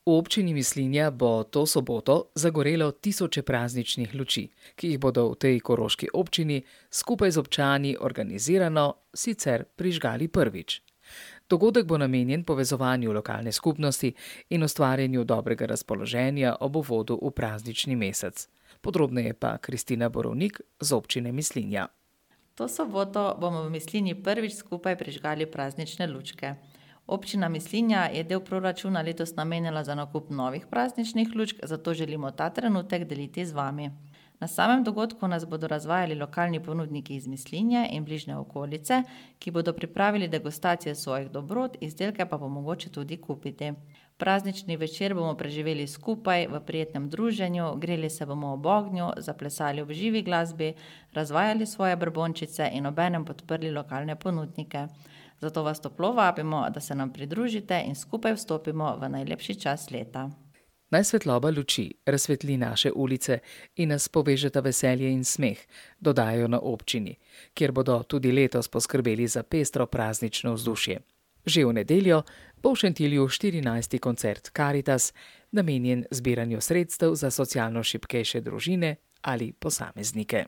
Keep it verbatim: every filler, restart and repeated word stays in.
V občini Mislinja bo to soboto zagorelo tisoče prazničnih luči, ki jih bodo v tej koroški občini skupaj z občani organizirano sicer prižgali prvič. Dogodek bo namenjen povezovanju lokalne skupnosti in ustvarjanju dobrega razpoloženja ob uvodu v praznični mesec. Podrobneje pa Kristina Borovnik z občine Mislinja. To soboto bomo v Mislinji prvič skupaj prižgali praznične lučke. Občina Mislinja je del proračuna letos namenjala za nakup novih prazničnih lučk, zato želimo ta trenutek deliti z vami. Na samem dogodku nas bodo razvajali lokalni ponudniki iz Mislinje in bližnje okolice, ki bodo pripravili degustacije svojih dobrot, izdelke pa bo mogoče tudi kupiti. Praznični večer bomo preživeli skupaj v prijetnem druženju, greli se bomo ob ognju, zaplesali ob živi glasbi, razvajali svoje brbončice in obenem podprli lokalne ponudnike. Zato vas toplo vabimo, da se nam pridružite in skupaj vstopimo v najlepši čas leta. Naj svetloba luči razsvetli naše ulice in nas povežeta veselje in smeh, dodajajo na občini, kjer bodo tudi letos poskrbeli za pestro praznično vzdušje. Že v nedeljo bo v Šentilju štirinajsti koncert Karitas, namenjen zbiranju sredstev za socialno šibkejše družine ali posameznike.